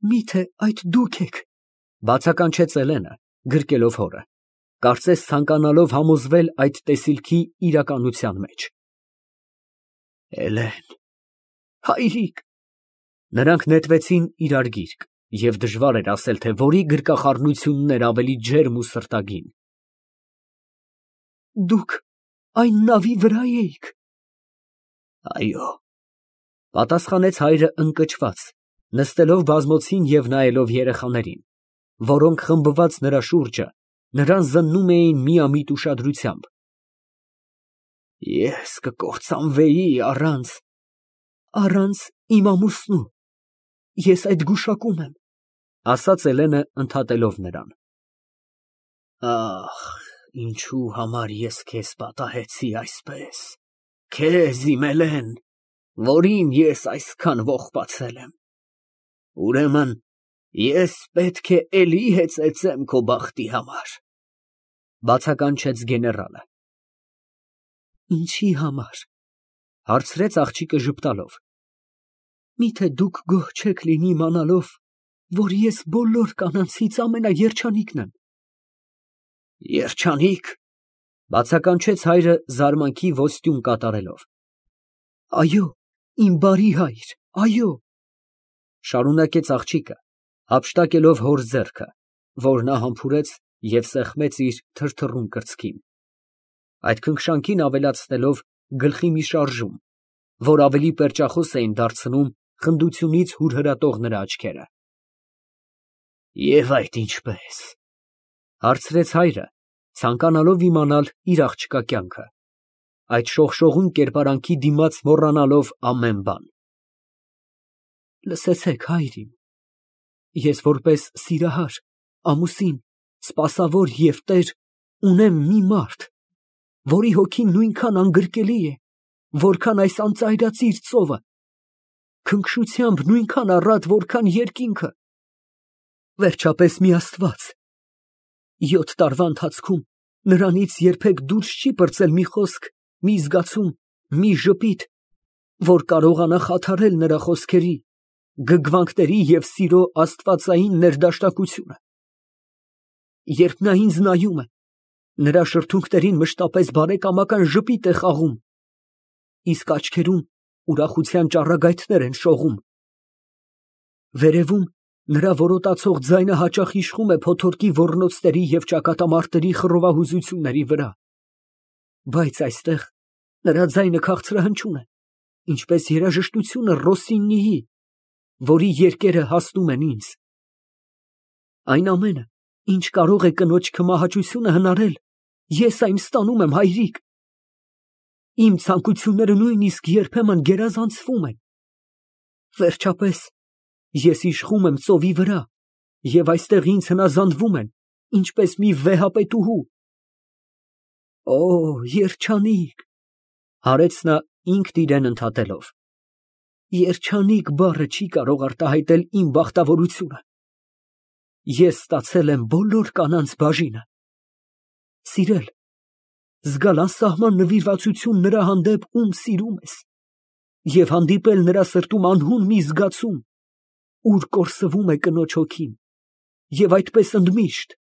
Միթե այդ դուք եք, բացականչեց Էլենը, գրկելով հորը, կարծես ցանկանալով համոզվել այդ տեսիլքի իրականության մեջ։ Էլեն, հայրիկ։ Նրանք նետվեցին իրար գիրկ, և դժվար էր ասել, թե որի գրկախառնությունն էր ավելի ջերմ ու սրտագին։ Դուք այն նավի վրա էիք։ Այո, պատասխանեց հայրը ընկճված, նստելով բազմոցին և նայելով երեխաներին, որոնք խմբված նրա շուրջը նրան զննում էին միամիտ ուշադրությամբ։ Ես կկործանվեի առանց իմ ամուսնու, ես այդ գուշակում եմ, ասաց Էլենը ընդհատելով նրան։ Ախ, ինչու համար ես քեզ պատահեցի այսպես, քեզ իմ Էլեն, որին ես այսքան ողբացել եմ։ Ուրեմն ես պետք է էլի հեծեծեմ քո բախտի համար, բացականչեց գեներալը։ Ինչի համար, հարցրեց աղջիկը ժպտալով։ Միթե դուք գոհ չեք լինի իմանալով, որ ես բոլոր կանանցից ամենաերջանիկն եմ։ Երջանիկ, բացականչեց հայրը զարմանքի ոսტյուն կատարելով։ Այո, իմ բարի հայր, այո, շարունակեց աղջիկը, հափշտակելով հոր ձեռքը, որ նա համբուրեց և սեղմեց իր թրթռուն կրծքին, այդ քնքշանքին ավելացնելով գլխի մի շարժում, որ ավելի պերճախոս էին դարձնում խնդությունից հուրհրատող նրա աչքերը։ Եվ այդ ինչպես, հարցրեց հայրը, ցանկանալով իմանալ իր աղջկա կյանքը, այդ շողշողուն կերպարանքի դիմաց մոռանալով ամեն բան։ Լսեցեք, հայր իմ, ես որպես սիրահար, ամուսին, սպասավոր և տեր ունեմ մի մարդ, որի հոգին նույնքան անգրկելի է, որքան այս անծայրածիր ծովը, քնքշությամբ նույնքան առատ, որքան երկինքը։ Վերջապես մի Աստված 7 տարվա ընթացքում նրանից երբեք դուրս չի պրծել մի խոսք, մի զգացում, մի ժպիտ, որ կարողանա խաթարել նրա խոսքերի, գգվանքների և սիրո աստվածային ներդաշնակությունը։ Երբ նա ինձ նայում է, նրա շրթունքներին մշտապես բարեկամական ժպիտ է խաղում, իսկ աչքերում ուրախության ճառագայթներ են շողում։ Վերևում նրա որոտացող ձայնը հաճախ իշխում է փոթորկի ոռնոցների և ճակատամարտերի խռովահուզությունների վրա, բայց այստեղ նրա ձայնը քաղցրահնչուն է, ինչպես երաժշտությունը Ռոսսինիի, որի երգերը հասնում են ինձ։ Այն ամենը, ինչ կարող է կնոջ քմահաճությունը հնարել, ես այն ստանում եմ, հայրիկ։ Իմ ցանկությունները նույնիսկ երբեմն գերազանցվում են։ Վերջապես, ես իշխում եմ ծովի վրա, և այստեղ ինձ հնազանդվում են, ինչպես մի վեհապետուհու։ Օ, երջանիկ, հարեց նա ինքն իրեն ընդհատելով, երջանիկ բառը չի կարող արտահայտել իմ բախտավորությունը։ Ես ստացել եմ բոլոր կանանց բաժինը։ Սիրել, զգալ անսահման նվիրվածություն նրա հանդեպ, ում սիրում ես, և հանդիպել նրա սրտում անհուն մի զգացում, ուր կորսվում է կնոջ հոգին, և այդպես ընդմիշտ։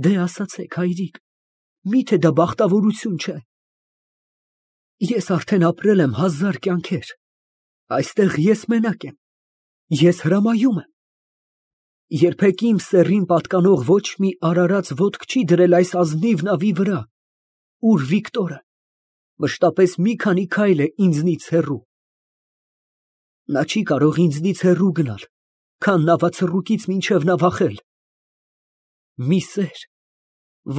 Դե ասացեք, հայրիկ, միթե դա բախտավորություն չէ։ Ես արդեն ապրել եմ 1000 կյանքեր, այստեղ ես մենակ եմ, ես հրամայում եմ։ Երբեք իմ սեռին պատկանող ոչ մի արարած ոտք չի դրել այս ազնիվ նավի վրա, ուր Վիկտորը մշտապես մի քանի քայլ է ինձնից հեռու։ Նա չի կարող ինձնից հեռու գնալ, քան նավացռուկից մինչև նավախել։ Մի սեր,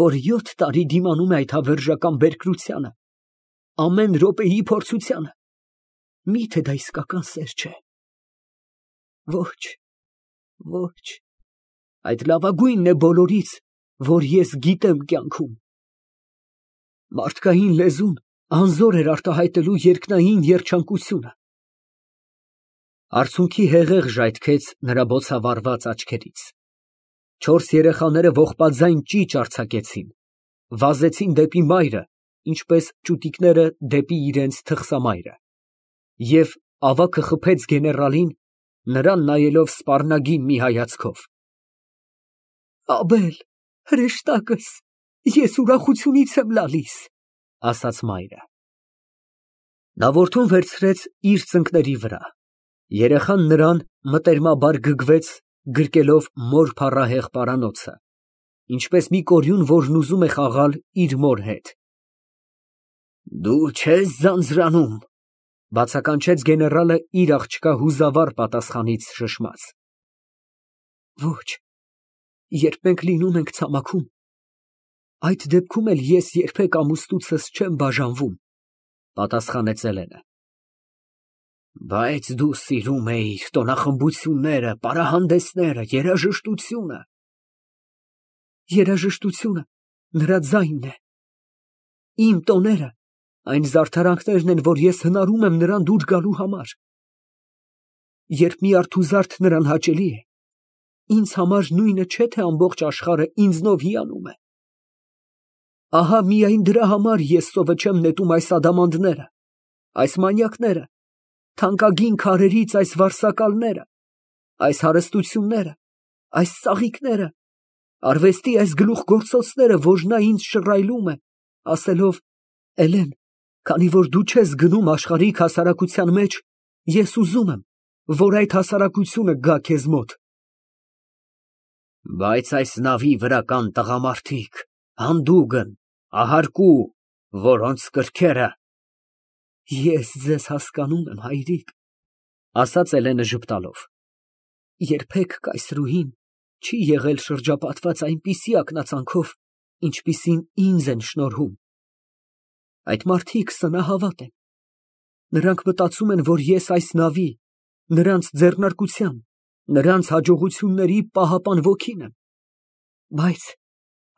որ 7 տարի դիմանում է այդ հավերժական բերկրությանը, ամեն րոպեի փորձությանը, միթե դա իսկական սեր չէ։ Ոչ, ոչ, այդ լավագույնն է բոլորից, որ ես գիտեմ կյանքում։ Մարդկային լեզուն անզոր էր արտահայտելու երկնային երջանկությունը։ Արցունքի հեղեղ ժայթքեց նրա բոցավառված աչքերից։ 4 երեխաները ողբաձայն ճիչ արձակեցին, վազեցին դեպի մայրը, ինչպես ճուտիկները դեպի իրենց թխսամայրը, և ավագը խփեց գեներալին նրան նայելով սպառնագին մի հայացքով։ Աբել, հրեշտակս, ես ուրախությունից եմ լալիս, ասաց մայրը։ Նա որդուն վերցրեց իր ծնկների վրա։ Երեխան նրան մտերմաբար գգվեց, գրկելով մոր փառահեղ պարանոցը, ինչպես մի կորյուն, որն ուզում է խաղալ իր մոր հետ։ Դու չես ձանձրանում, բացականչեց գեներալը իր աղջկա հուզավառ պատասխանից շշմած։ Ոչ, երբ մենք լինում ենք ցամաքում, այդ դեպքում էլ ես երբեք ամուսնուցս չեմ բաժանվում, պատասխանեց Էլենը։ Բայց դու սիրում էիր տոնախմբությունները, պարահանդեսները, երաժշտությունը։ Երաժշտությունը նրա ձայնն է։ Իմ տոները այն զարդարանքներն են, որ ես հնարում եմ նրան դուր գալու համար։ Երբ մի արթուզարդ նրան հաճելի է, ինձ համար նույնը չէ, թե ամբողջ աշխարհը ինձնով հիանում է։ Ահա միայն դրա համար ես սովը չեմ նետում այս ադամանդները, այս մանյակները, թանկագին քարերից այս վարսակալները, այս հարստությունները, այս ծաղիկները, արվեստի այս գլուխգործոցները, որ նա ինձ շռայլում է, ասելով. Էլեն, քանի որ դու չես գնում աշխարհիկ հասարակության մեջ, ես ուզում եմ, որ այդ հասարակությունը գա քեզ մոտ։ Բայց այս նավի վրա կան տղամարդիկ, հանդուգն, ահարկու, որոնց կրքերը… Ես ձեզ հասկանում եմ, հայրիկ, ասաց Էլենը ժպտալով։ Երբեք կայսրուհին չի եղել շրջապատված այնպիսի ակնածանքով, ինչպիսին ինձ են շնորհում։ Այդ մարդիկ սնահավատ են։ Նրանք մտածում են, որ ես այս նավի, նրանց ձեռնարկության, նրանց հաջողությունների պահապան ոգին եմ։ Բայց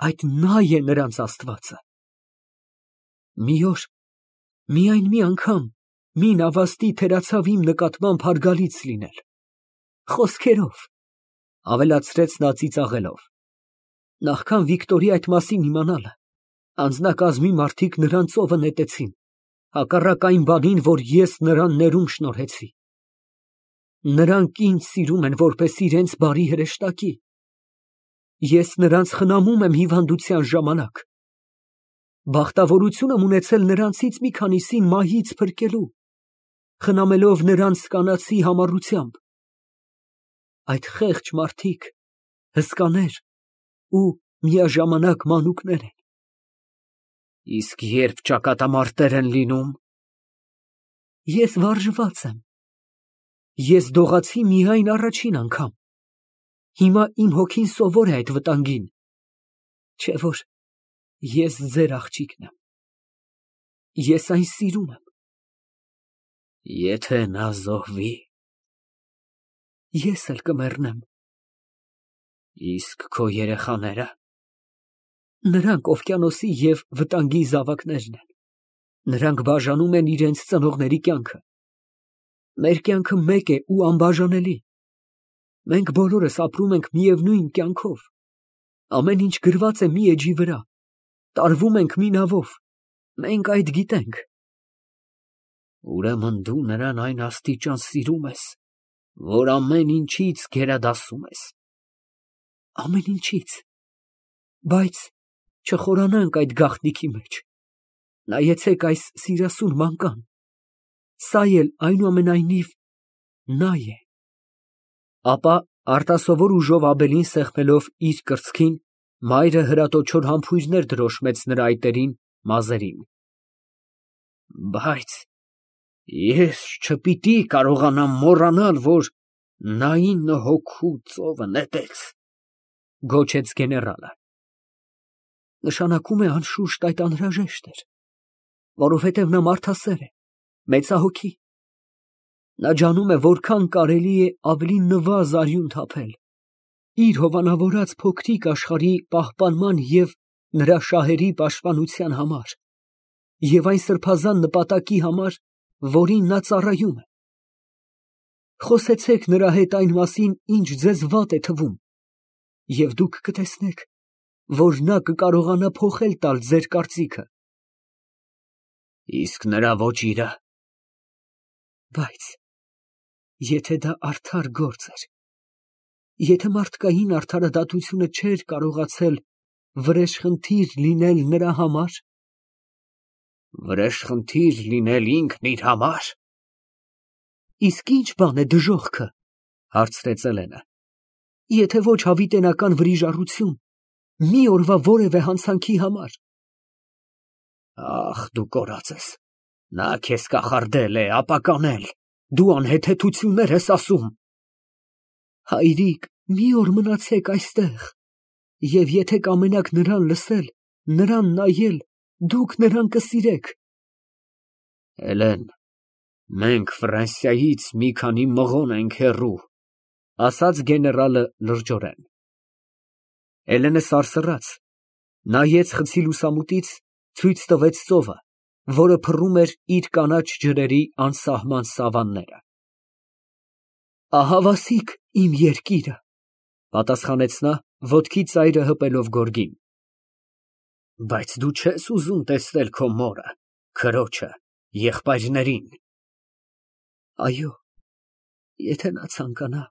այդ նա է նրանց Աստվածը։ Մի օր, միայն մի անգամ, մի նավաստի թերացավ իմ նկատմամբ հարգալից լինել։ Խոսքերով, ավելացրեց նա ծիծաղելով։ Նախքան Վիկտորի այդ մասին իմանալը, անձնակազմի մարդիկ նրան ծովը նետեցին, հակառակ այն բանին, որ ես նրան ներում շնորհեցի։ Նրանք ինձ սիրում են որպես իրենց բարի հրեշտակի։ Ես նրանց խնամում եմ հիվանդության ժամանակ։ Բախտավորություն եմ ունեցել նրանցից մի քանիսին մահից փրկելու, խնամելով նրանց կանացի համառությամբ։ Այդ խեղճ մարդիկ հսկաներ ու միաժամանակ մանուկներ են։ Իսկ երբ ճակատամարտեր են լինում… Ես վարժված եմ։ Ես դողացի միայն առաջին անգամ։ Հիմա իմ հոգին սովոր է այդ վտանգին, չէ՞ որ ես ձեր աղջիկն եմ։ Ես այն սիրում եմ։ Եթե նա զոհվի… Ես էլ կմեռնեմ։ Իսկ քո երեխաները… Նրանք օվկիանոսի և վտանգի զավակներն են։ Նրանք բաժանում են իրենց ծնողների կյանքը։ Մեր կյանքը մեկ է ու անբաժանելի։ Մենք բոլորս ապրում ենք միևնույն կյանքով։ Ամեն ինչ գրված է մի էջի վրա, տարվում ենք մի նավով, մենք այդ գիտենք։ Ուրեմն դու նրան այն աստիճան սիրում ես, որ ամեն ինչից գերադասում ես։ Ամեն ինչից։ Բայց չխորանանք այդ գաղտնիքի մեջ։ Նայեցեք այս սիրասուն մանկան։ Սա էլ այնուամենայնիվ նա է։ Ապա արտասովոր ուժով Աբելին սեղմելով իր կրծքին, մայրը հրատոչոր համբույրներ դրոշմեց նրա այտերին, մազերին։ Բայց ես չպիտի կարողանամ մոռանալ, որ նա 9 հոգու ծովը նետեց, գոչեց գեներալը։ Նշանակում է անշուշտ այդ անհրաժեշտ էր, որովհետև նա մարդասեր է, մեծահոգի։ Նա ջանում է, որքան կարելի է ավելի նվազ արյուն թափել իր հովանավորած փոքրիկ աշխարհի պահպանման և նրա շահերի պաշտպանության համար և այն սրբազան նպատակի համար, որին նա ծառայում է։ Խոսեցեք նրա հետ այն մասին, ինչ ձեզ վատ է թվում, և դուք կտեսնեք, որ նա կկարողանա փոխել տալ ձեր կարծիքը։ Իսկ նրա ոճիրը… Բայց Եթե դա արդար գործ էր, եթե մարդկային արդարադատությունը չէր կարողացել վրեժխնդիր լինել նրա համար։ Վրեժխնդիր լինել ինքն իր համար։ Իսկ ինչ բան է դժոխքը, հարցրեց Էլենը։ Եթե ոչ հավիտենական վրիժառություն, մի օրվա որևէ հանցանքի համար։ Ախ, դու կորած ես։ Նա քեզ կախարդել է, ապականել։ Դու անհեթեթություններ ես ասում։ Հայրիկ, մի օր մնացեք այստեղ, և եթե կամենաք նրան լսել, նրան նայել, դուք նրան կսիրեք։ Էլեն, մենք Ֆրանսիայից մի քանի մղոն ենք հեռու, ասաց գեներալը լրջորեն։ Էլենը սարսռաց, նայեց խցի լուսամուտից, ցույց տվեց ծովը, որը փռում էր իր կանաչ ջրերի անսահման սավանները։ Ահավասիկ իմ երկիրը, պատասխանեց նա, ոտքի ծայրը հպելով գորգին։ Բայց դու չես ուզում տեսնել քո մորը, քրոջը, եղբայրներին։ Այո, եթե նա ցանկանա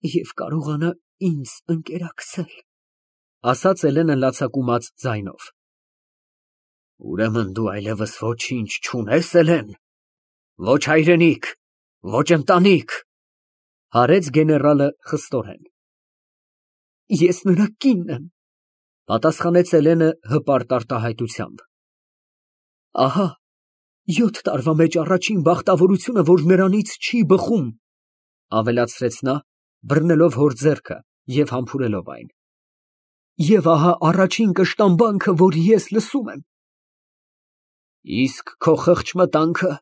և կարողանա ինձ ընկերակցել, ասաց Էլենը լացակումած ձայնով։ Ուրեմն դու այլևս ոչինչ չունես, Էլեն, ոչ հայրենիք, ոչ ընտանիք, հարեց գեներալը խստորեն։ Ես նրա կինն եմ, պատասխանեց Էլենը հպարտ արտահայտությամբ։ Ահա 7 տարվա մեջ առաջին բախտավորությունը, որ նրանից չի բխում, ավելացրեց նա, բռնելով հոր ձեռքը և համբուրելով այն։ Եվ ահա առաջին կշտամբանքը, որ ես լսում եմ։ Իսկ քո խղճմտանքը։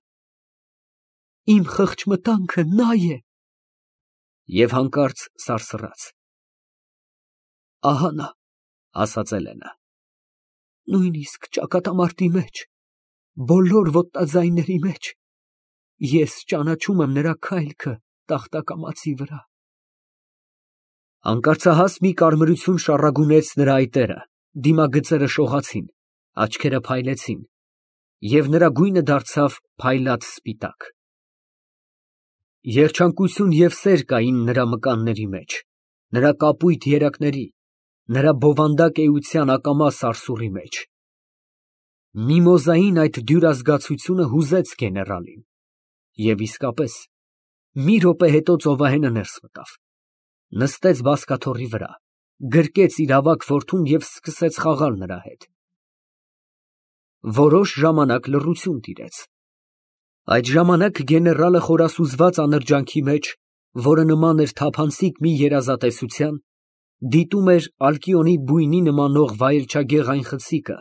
Իմ խղճմտանքը նա է։ Եվ հանկարծ սարսռաց։ Ահա նա, ասաց Էլենը։ Նույնիսկ ճակատամարտի մեջ, բոլոր ոտնաձայների մեջ, ես ճանաչում եմ նրա քայլքը տախտակամածի վրա։ Հանկարծահաս մի կարմրություն շառագունեց նրա այտերը, դիմագծերը շողացին, աչքերը փայլեցին, և նրա գույնը դարձավ փայլատ սպիտակ։ Երջանկություն և սեր կային նրա մկանների մեջ, նրա կապույտ երակների, նրա բովանդակ էության ակամա սարսուռի մեջ։ Միմոզային այդ դյուրազգացությունը հուզեց գեներալին, և իսկապես, մի րոպե հետո ծովահենը ներս մտավ, նստեց բազկաթոռի վրա, գրկեց իր ավագ որդուն և սկսեց խաղալ նրա հետ։ Որոշ ժամանակ լռություն տիրեց։ Այդ ժամանակ գեներալը խորասուզված անրջանքի մեջ, որը նման էր թափանցիկ մի երազատեսության, դիտում էր Ալկիոնի բույնի նմանող վայելչագեղ այն խցիկը,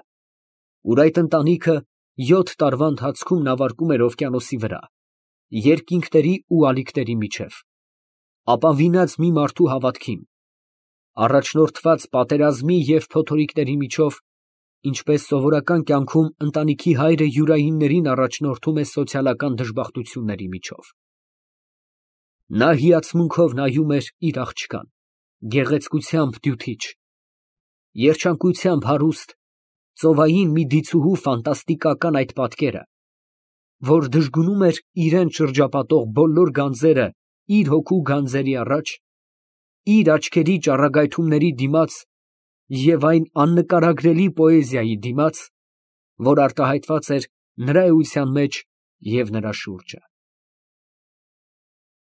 ուր այդ ընտանիքը 7 տարվա ընթացքում նավարկում էր օվկիանոսի վրա, երկինքների ու ալիքների միջև, ապավինած մի մարդու հավատքին, առաջնորդված պատերազմի և փոթորիկների միջով, ինչպես սովորական կյանքում ընտանիքի հայրը յուրայիններին առաջնորդում է սոցիալական դժբախտությունների միջով։ Նա հիացմունքով նայում էր իր աղջկան, գեղեցկությամբ դյութիչ, երջանկությամբ հարուստ, ծովային մի դիցուհու ֆանտաստիկական այդ պատկերը, որ դժգունում էր իրան շրջապատող բոլոր գանձերը իր հոգու գանձերի առաջ, իր աչքերի ճառագայթումների դիմաց և այն աննկարագրելի պոեզիայի դիմաց, որ արտահայտված էր նրա էության մեջ և նրա շուրջը։